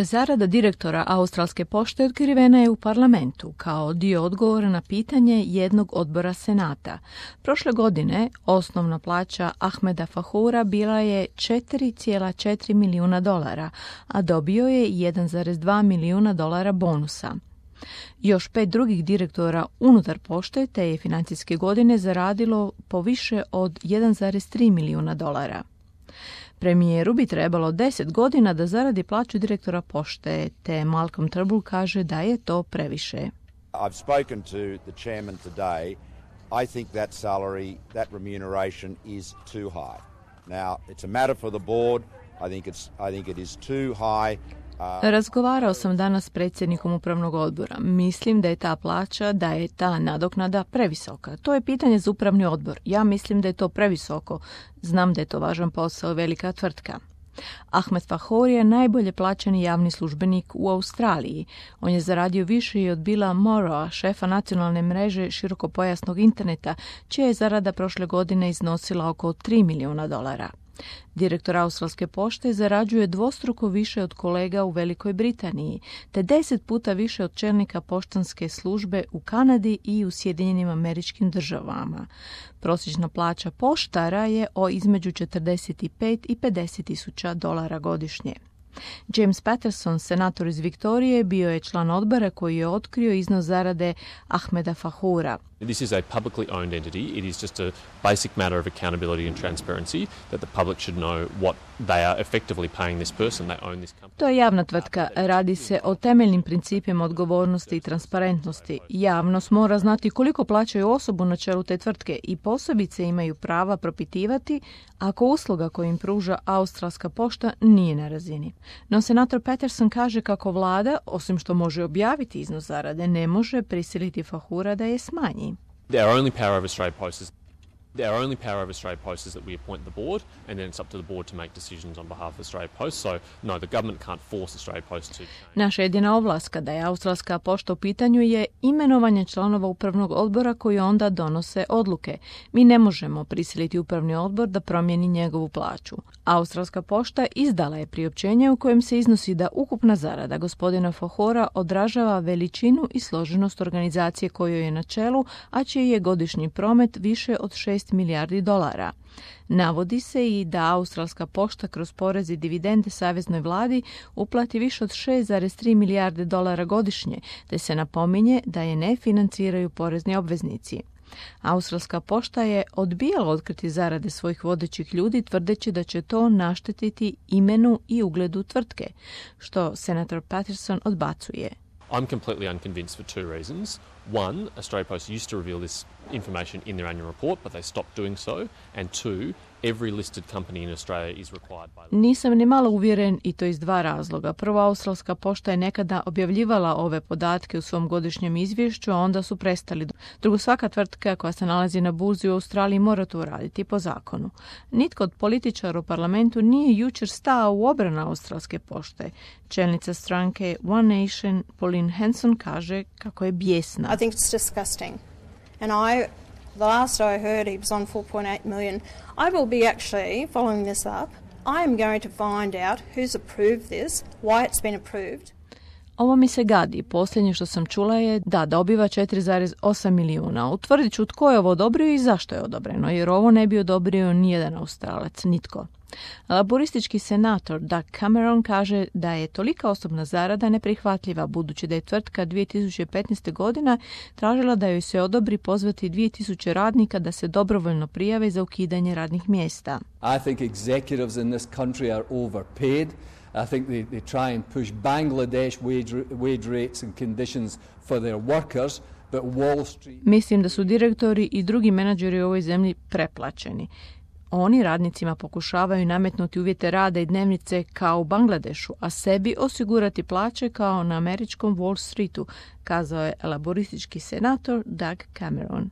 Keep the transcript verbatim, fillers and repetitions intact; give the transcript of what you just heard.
Zarada direktora Australske pošte otkrivena je u parlamentu kao dio odgovora na pitanje jednog odbora Senata. Prošle godine osnovna plaća Ahmeda Fahoura bila je četiri zarez četiri milijuna dolara, a dobio je jedan zarez dva milijuna dolara bonusa. Još pet drugih direktora unutar pošte te je financijske godine zaradilo po više od jedan zarez tri milijuna dolara. Premijeru bi trebalo deset godina da zaradi plaću direktora pošte, te Malcolm Turnbull kaže da je to previše. I've spoken to the chairman today. I think that salary, that remuneration is too high. Now, it's a matter for the board. I think it's I think it is too high. Razgovarao sam danas s predsjednikom upravnog odbora. Mislim da je ta plaća, da je ta nadoknada previsoka. To je pitanje za upravni odbor. Ja mislim da je to previsoko. Znam da je to važan posao, velika tvrtka. Ahmed Fahour je najbolje plaćeni javni službenik u Australiji. On je zaradio više i od Billa Morrowa, šefa nacionalne mreže širokopojasnog interneta, čija je zarada prošle godine iznosila oko tri milijuna dolara. Direktor Australske pošte zarađuje dvostruko više od kolega u Velikoj Britaniji, te deset puta više od čelnika poštanske službe u Kanadi i u Sjedinjenim Američkim Državama. Prosječna plaća poštara je o između četrdeset pet i pedeset tisuća dolara godišnje. James Patterson, senator iz Viktorije, bio je član odbora koji je otkrio iznos zarade Ahmeda Fahoura. This is a publicly owned entity. It is just a basic matter of accountability and transparency that the public should know what they are effectively paying this person. They own this company. To je javna tvrtka. Radi se o temeljnim principima odgovornosti i transparentnosti. Javnost mora znati koliko plaćaju osobu na čelu te tvrtke i posebice imaju prava propitivati ako usluga koju im pruža Australska pošta nije na razini. No senator Patterson kaže kako vlada, osim što može objaviti iznos zarade, ne može prisiliti Fahoura da je smanji. Our only power over Australia Post is Our only power over Australia Post is that we appoint the board, and then it's up to the board to make decisions on behalf of Australia Post. So, no, the government can't force Australia Post to change. Naša jedina ovlast kada je Australska pošta u pitanju je imenovanje članova upravnog odbora koji onda donose odluke. Mi ne možemo prisiliti upravni odbor da promijeni njegovu plaću. Australska pošta izdala je priopćenje u kojem se iznosi da ukupna zarada gospodina Fahoura odražava veličinu i složenost organizacije kojoj je na čelu, a čiji je godišnji promet više od šest milijardi dolara. Navodi se i da Australska pošta kroz porez i dividende saveznoj vladi uplati više od šest zarez tri milijarde dolara godišnje, te se napominje da je ne financiraju porezni obveznici. Australska pošta je odbijala otkriti zarade svojih vodećih ljudi tvrdeći da će to naštetiti imenu i ugledu tvrtke, što senator Patterson odbacuje. I'm completely unconvinced for two reasons. One, Australia Post used to reveal this information in their annual report, but they stopped doing so. And two, every listed company in Australia is required by law. Nisam ni malo uvjeren i to iz dva razloga. Prvo, Australska pošta je nekada objavljivala ove podatke u svom godišnjem izvješću, a onda su prestali. Drugo, svaka tvrtka koja se nalazi na burzi u Australiji mora to uraditi po zakonu. Nitko od političara u parlamentu nije jučer stao u obranu Australske pošte. Čelnica stranke One Nation, Pauline Hanson, kaže kako je bijesna. I think it's disgusting. And I, the last I heard, he was on four point eight million. I will be actually following this up. I am going to find out who's approved this, why it's been approved. Ovo mi se gadi. Posljednje što sam čula je da dobiva četiri zarez osam milijuna. Utvrdit ću tko je ovo odobrio i zašto je odobreno, jer ovo ne bi odobrio nijedan Australac, nitko. Laboristički senator Doug Cameron kaže da je tolika osobna zarada neprihvatljiva, budući da je tvrtka dvije tisuće petnaeste. godina tražila da joj se odobri pozvati dvije tisuće radnika da se dobrovoljno prijave za ukidanje radnih mjesta. I think executives in this country are overpaid. I think they, they try and push Bangladesh wage, wage rates and conditions for their workers, but Wall Street... Mislim da su direktori i drugi menadžeri u ovoj zemlji preplaćeni. Oni radnicima pokušavaju nametnuti uvjete rada i dnevnice kao u Bangladešu, a sebi osigurati plaće kao na američkom Wall Streetu, kazao je laboristički senator Doug Cameron.